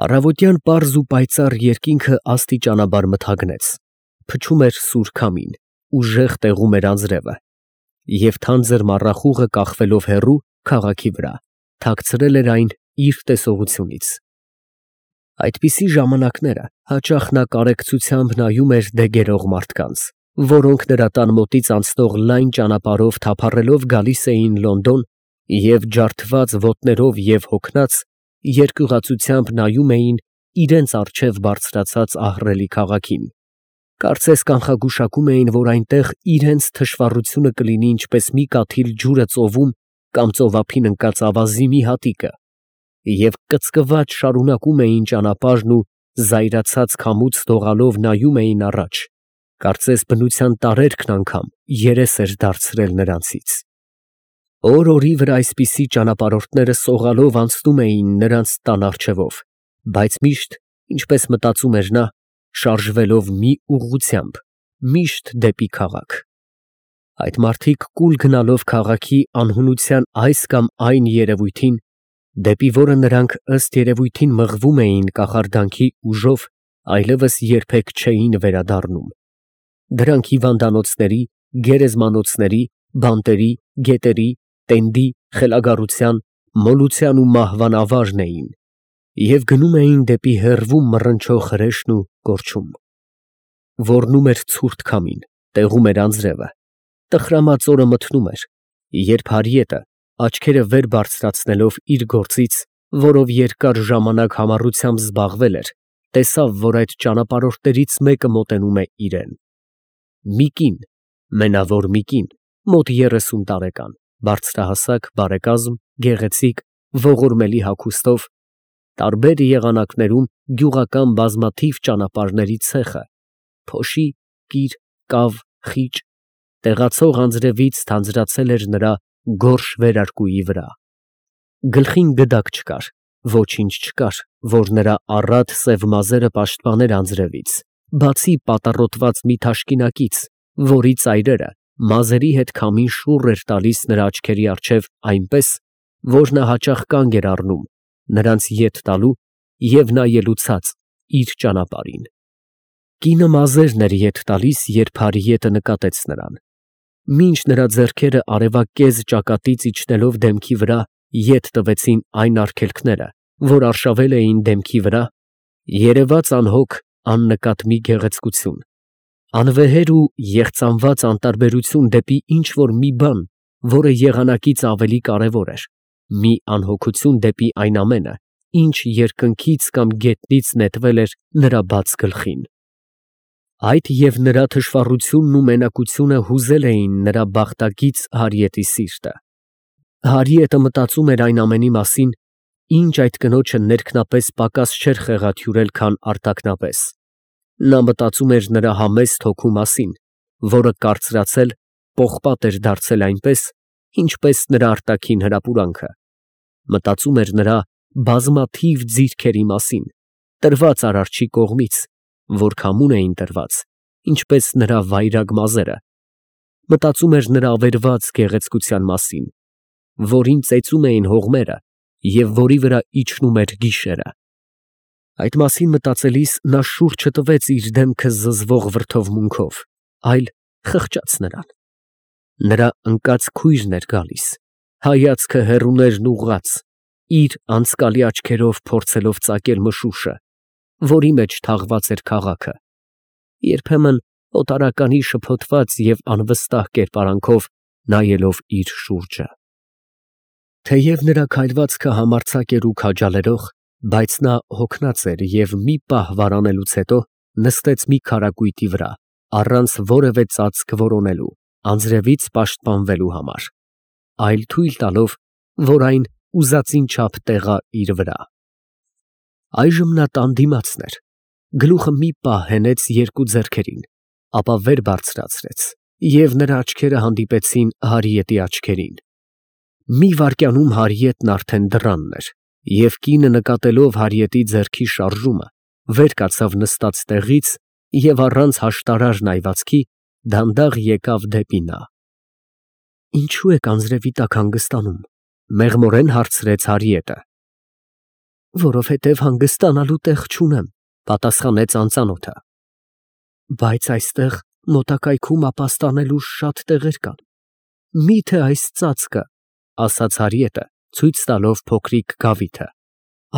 Առավոտյան պարզ ու պայծառ երկինքը աստիճանաբար մթագնեց, փչում էր սուր քամին, ուժեղ տեղում էր անձրևը, և թանձր մառախուղը կախվելով հեռու քաղաքի վրա, թաքցրել էր այն իր տեսողությունից։ Այդպիսի ժամանակները հաճախ նա կարեկցությամբ նայում էր դեգերող մարդկանց, որոնք նրա տան մոտից անցնող լայն ճանապարհով թափառելով գալիս էին Լոնդոն և ջարդված ոտներով և հոգնած, երկյուղածությամբ նայում էին իրենց առջև բարձրացած ահռելի քաղաքին, կարծես կանխագուշակում էին, որ այնտեղ իրենց թշվառությունը կլինի ինչպես մի կաթիլ ջուրը ծովում կամ ծովափին ընկած ավազի մի հատիկը, և կծկված շարունակում էին ճանապարհն ու զայրացած քամուց դողալով նայում էին առաջ, կարծես բնության տարերքն անգամ երես էր դարձրել նրանցից։ Օր֊օրի վրա այսպիսի ճանապարհորդները սողալով անցնում էին նրանց տան առջևով, բայց միշտ, ինչպես մտածում էր նա, շարժվելով մի ուղղությամբ, միշտ դեպի քաղաք։ Այդ մարդիկ կուլ գնալով քաղաքի անհունության այս կամ այն երևույթին, դեպի որը նրանք ըստ երևույթին մղվում էին կախարդանքի ուժով, այլևս երբեք չէին վերադառնում։ Դրանք հիվանդանոցների, գերեզմանոցների, բանտերի, գետերի, տենդի, խելագարության, մոլության ու մահվան ավարն էին և գնում էին դեպի հեռվում մռնչող հրեշն ու կորչում։ Ոռնում էր ցուրտ քամին, տեղում էր անձրևը, տխրամած օրը մթնում էր, երբ Հարիետը, աչքերը վեր բարձրացնելով իր գործից, որով երկար ժամանակ համառությամբ զբաղվել էր, տեսավ, որ այդ ճանապարհորդներից մեկը մոտենում է իրան։ Մի կին, մենավոր մի կին, մոտ 30 տարեկան, բարձրահասակ, բարեկազմ, գեղեցիկ, ողորմելի հագուստով, տարբեր եղանակներում գյուղական բազմաթիվ ճանապարհների ցեխը, փոշի, կիր, կավ, խիճ, տեղացող անձրևից թանձրացել էր նրա գորշ վերարկուի վրա։ Գլխին գդակ չկար, ոչինչ չկար, որ նրա առատ սև մազերը պաշտպաներ անձրևից, բացի պատառոտված մի թաշկինակից, որի ծայրերը մազերի հետ քամին շուռ էր տալիս նրա աչքերի առջև այնպես, որ նա հաճախ կանգ էր առնում, նրանց ետ տալու և նայելու ցած իր ճանապարհին։ Կինը մազերն էր ետ տալիս, երբ Հարիետը նկատեց նրան։ Մինչ նրա ձեռքերը արևակեզ ճակատից իջնելով դեմքի վրա ետ տվեցին այն արգելքները, որ արշավել էին դեմքի վրա, երևաց անհոգ, աննկատ մի գեղեցկություն, անվեհեր ու եղծամված անտարբերություն դեպի ինչ֊որ մի բան, որը եղանակից ավելի կարևոր էր, մի անհոգություն դեպի այն ամենը, ինչ երկնքից կամ գետնից նետվել էր նրա բաց գլխին։ Այդ և նրա թշվառությունն ու մենակությունը հուզել էին նրա բախտագիծ Հարիետի սիրտը։ Հարիետը մտածում էր այն ամենի մասին, ինչ այդ կնոջը ներքնապես պակաս չէր խեղաթյուրել, քան արտաքնապես։ Նա մտածում էր նրա համեստ հոգու մասին, որը կարծրացել, պողպատ էր դարձել այնպես, ինչպես նրա արտաքին հրապուրանքը։ Մտածում էր նրա բազմաթիվ ձիրքերի մասին, տրված Արարչի կողմից, որ քամուն էին տրված, ինչպես նրա վայրագ մազերը։ Մտածում էր նրա ավերված գեղեցկության մասին, որին ծեծում էին հողմերը և որի վրա իջնում էր գիշերը։ Այդ մասին մտածելիս նա շուռ չտվեց իր դեմքը զզվող վրդովմունքով, այլ խղճաց նրան։ Նրա ընկած քույրն էր գալիս, հայացքը հեռուներն ուղղած, իր անցկալի աչքերով փորձելով ծակել մշուշը, որի մեջ թաղված էր քաղաքը, երբեմն օտարականի շփոթված և անվստահ կերպարանքով նայելով իր շուրջը։ Թեև նրա քայլվածքը համարձակ էր ու քաջալերող, բայց նա հոգնած էր և մի պահ վարանելուց հետո նստեց մի քարակույտի վրա, առանց որևէ ծածկ որոնելու, անձրևից պաշտպանվելու համար, այլ թույլ տալով, որ այն ուզածին չափ տեղա իր վրա։ Այժմ նա տան դիմացն էր, գլուխը մի պահ հենեց երկու ձեռքերին, ապա վեր բարձրացրեց, և նրա աչքերը հանդիպեցին Հարիետի աչքերին։ Մի վայրկյանում Հարիետն արդեն դռանն էր, և կինը նկատելով Հարիետի ձեռքի շարժումը, վեր կացավ նստած տեղից և առանց հաշտարար նայվածքի դանդաղ եկավ դեպի նա։ «Ինչո՞ւ եք անձրևի տակ հանգստանում, ֊ մեղմորեն հարցրեց Հարիետը։ Որովհետև հանգստանալու տեղ չունեմ, պատասխանեց անծանոթը։ Բայց այստեղ մոտակայքում ապաստանելու շատ տեղեր կան։ Միթե այս ծածկը, ասաց Հարիետը, ցույց տալով փոքրիկ գավիթը,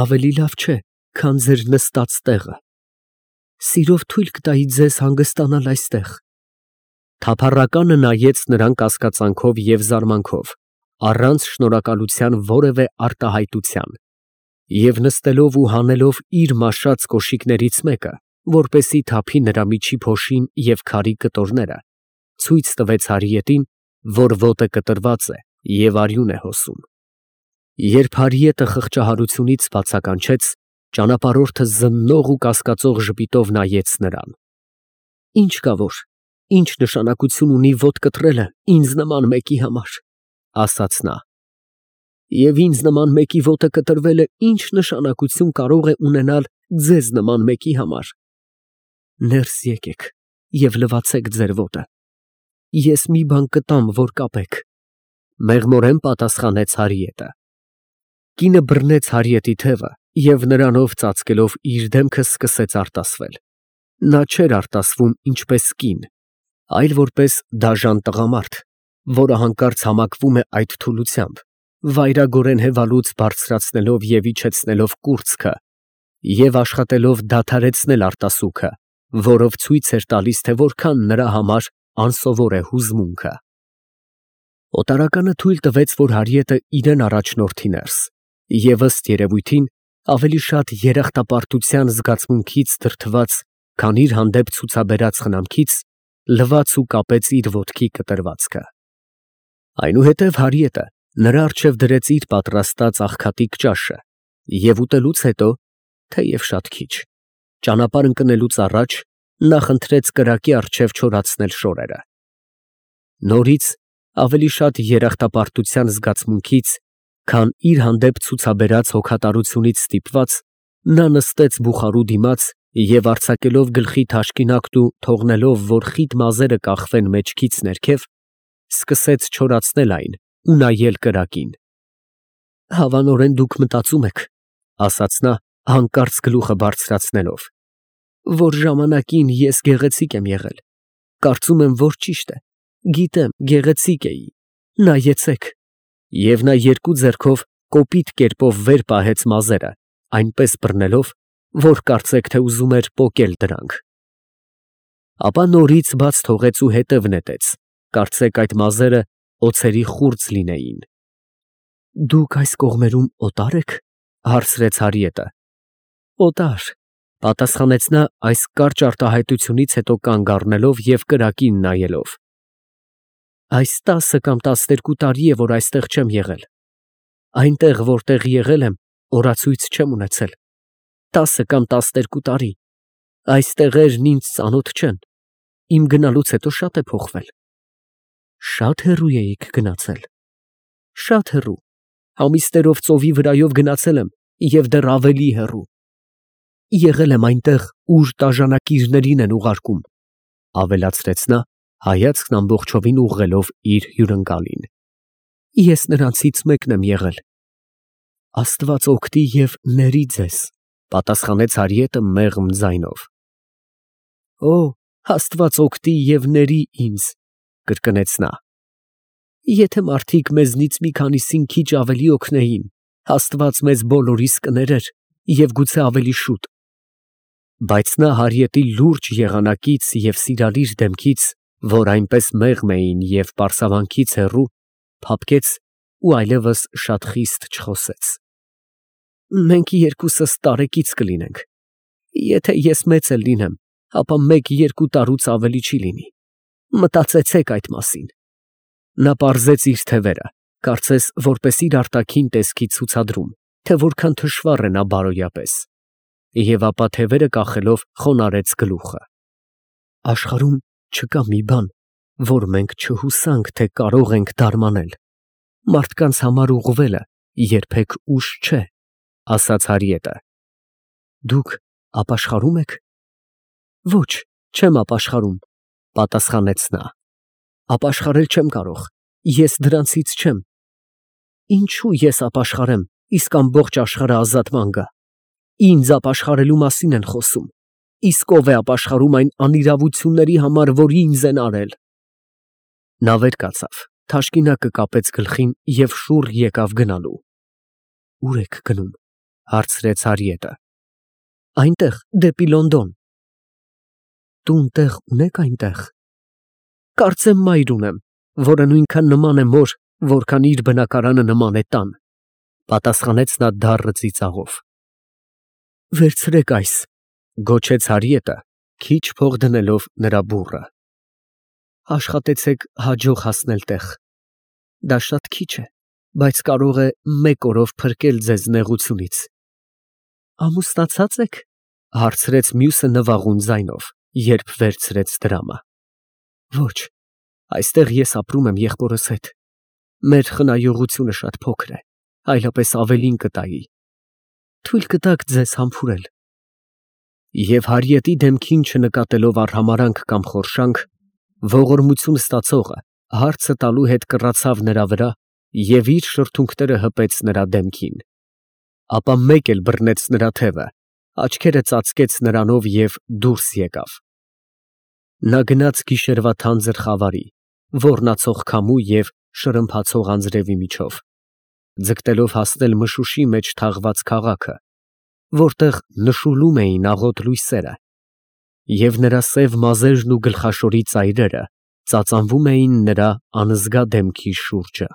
ավելի լավ չէ, քան ձեր նստած տեղը։ Սիրով թույլ կտայի ձեզ հանգստանալ այստեղ։ Թափառականը նայեց նրան կասկածանքով և զարմանքով, առանց շնորհակալության որևէ արտահայտության, և նստելով ու հանելով իր մաշած կոշիկներից մեկը, որպեսզի թափի նրա միջի փոշին և քարի կտորները, ցույց տվեց Հարիետին, որ ոտը կտրված է և արյուն է հոսում։ Երբ Հարիետը խղճահարությունից բացականչեց, ճանապարհորդը զննող ու կասկածող ժպիտով նայեց նրան։ Ինչ կա որ, ինչ նշանակություն ունի ոտ կտրելը ինձ նման մեկի համար, ասաց նա։ Եվ ինձ նման մեկի ոտը կտրվելը ինչ նշանակություն կարող է ունենալ ձեզ նման մեկի համար։ Ներս եկեք և լվացեք ձեր ոտը։ Ես մի բան կտամ, որ կապեք, մեղմորեն պատասխանեց Հարիետը։ Կինը բռնեց Հարիետի թևը և նրանով ծածկելով իր դեմքը սկսեց արտասվել։ Նա չէր արտասվում ինչպես կին, այլ որպես դաժան տղամարդ, որը հանկարծ համակվում է այդ թուլությամբ, վայրագորեն հևալուց բարձրացնելով և իջեցնելով կուրծքը և աշխատելով դադարեցնել արտասուքը, որով ցույց էր տալիս, թե որքան նրա համար անսովոր է հուզմունքը։ Օտարականը թույլ տվեց, որ Հարիետը իրեն առաջնորդի ներս, և ըստ երևույթին ավելի շատ երախտապարտության զգացմունքից դրդված, քան իր հանդեպ ցուցաբերած խնամքից, լվաց ու կապեց իր ոտքի կտրվածքը։ Այնուհետև Հարիետը նրա առջև դրեց իր պատրաստած աղքատիկ ճաշը և ուտելուց հետո, թեև շատ քիչ, ճանապարհ ընկնելուց առաջ նա խնդրեց կրակի առջև չորացնել շորերը։ Նորից ավելի շատ երախտապարտության զգացմունքից, քան իր հանդեպ ցուցաբերած հոգատարությունից ստիպված, նա նստեց բուխարու դիմաց և արձակելով գլխի թաշկինակն ու թողնելով, որ խիտ մազերը կախվեն մեջքից ներքև, սկսեց չորացնել այն ու նայել կրակին։ Հավանորեն դուք մտածում եք, ասաց նա, հանկարծ գլուխը բարձրացնելով, որ ժամանակին ես գեղեցիկ եմ եղել, կարծում եմ, որ ճիշտ է, գիտեմ, գեղեցիկ էի, նայեցեք, և նա երկու ձեռքով կոպիտ կերպով վեր պահեց մազերը, այնպես բռնելով, որ կարծեք, թե ուզում էր պոկել դրանք։ Ապա նորից բաց թողեց ու հետև նետեց, կարծեք այդ մազերը օձերի խուրձ լինեին։ Դուք այս կողմերում օտա՞ր եք, հարցրեց Հարիետը։ Օտար, պատասխանեց նա այս կարճ արտահայտությունից հետո կանգ առնելով և կրակին նայելով։ Այս 10 կամ 12 տարի է, որ այստեղ չեմ եղել։ Այնտեղ, որտեղ եղել եմ, օրացույց չեմ ունեցել։ 10 կամ 12 տարի։ Այս տեղերն ինձ ծանոթ չեն։ Իմ գնալուց հետո շատ է փոխվել։ Շատ հեռու էիք գնացել։ Շատ հեռու։ Ամիսներով ծովի վրայով գնացել եմ և դեռ ավելի հեռու։ Եղել եմ այնտեղ, ուր տաժանակիրներին են ուղարկում, ավելացրեց նա, հայացքն ամբողջովին ուղղելով իր հյուրընկալին։ Ես նրանցից մեկն եմ եղել։ Աստված օգնի և ների ձեզ, պատասխանեց Հարիետը մեղմ ձայնով։ Օ, Աստված օգնի և ների ինձ, կրկնեց նա։ Եթե մարդիկ մեզնից մի քանիսին քիչ ավելի օգնեին, Աստված մեզ բոլորիս կներեր և գուցե ավելի շուտ։ Բայց նա Հարիետի լուրջ եղանակից և սիրալիր դեմքից, որ այնպես մեղմ էին և պարսավանքից հեռու, փափկեց ու այլևս շատ խիստ չխոսեց։ Մենք երկուսս տարեկից կլինենք։ Եթե ես մեծ էլ լինեմ, ապա 1-2 տարուց ավելի չի լինի։ Մտածեցեք այդ մասին։ Նա պարզեց իր թևերը, կարծես որպես իր արտաքին տեսքի ցուցադրում, թե որքան թշվառ է նա բարոյապես, և ապա թևերը կախելով խոնարհեց գլուխը։ Աշխարհում չկա մի բան, որ մենք չհուսանք, թե կարող ենք դարմանել։ Մարդկանց համար ուղղվելը երբեք ուշ չէ, ասաց Հարիետը։ Դուք ապաշխարո՞ւմ եք։ Ոչ, չեմ ապաշխարում, պատասխանեց նա։ Ապաշխարել չեմ կարող, ես դրանցից չեմ։ Ինչո՞ւ ես ապաշխարեմ, իսկ ամբողջ աշխարհը ազատման գա։ Ինձ ապաշխարելու մասին են խոսում։ Իսկ ով է ապաշխարում այն անիրավությունների համար, որ ինձ են արել։ Նա վեր կացավ, թաշկինակը կապեց գլխին և շուռ եկավ գնալու։ Ո՞ւր եք գնում, հարցրեց Հարիետը։ Այնտեղ, դեպի Լոնդոն։ Տուն տեղ ունեք այնտեղ։ Կարծեմ մայր ունեմ, որը նույնքան նման է մոր, որքան իր բնակարանը նման է տան, պատասխանեց նա դառն ծիծաղով։ Վերցրեք այս, գոչեց Հարիետը, քիչ փող դնելով նրա բուռը։ Աշխատեցեք հաջող հասնել տեղ։ Դա շատ քիչ է, բայց կարող է մեկ օրով փրկել ձեզ նեղությունից։ Ամուսնացած եք, հարցրեց մյուսը նվաղուն ձայնով, երբ վերցրեց դրամը։ Ոչ, այստեղ ես ապրում եմ եղբորս հետ։ Մեր խնայողությունը շատ փոքր է, այլապես ավելին կտայի։ Թույլ կտաք ձեզ համբուրել։ Եվ Հարիետի դեմքին չնկատելով արհամարհանք կամ խորշանք, ողորմություն ստացողը հարցը տալու հետ կռացավ նրա վրա և իր շրթունքները հպեց նրա դեմքին։ Ապա մեկ էլ բռնեց նրա թևը, աչքերը ծածկեց նրանով և դուրս եկավ։ Նա գնաց գիշերվա թանձր խավարի, ոռնացող քամու և շրմփացող անձրևի միջով, ձգտելով հասնել մշուշի մեջ թաղված քաղաքը, որտեղ նշուլում էին աղոտ լույսերը, և նրա սև մազերն ու գլխաշորի ծայրերը ծածանվում էին նրա անզգա դեմքի շուրջը։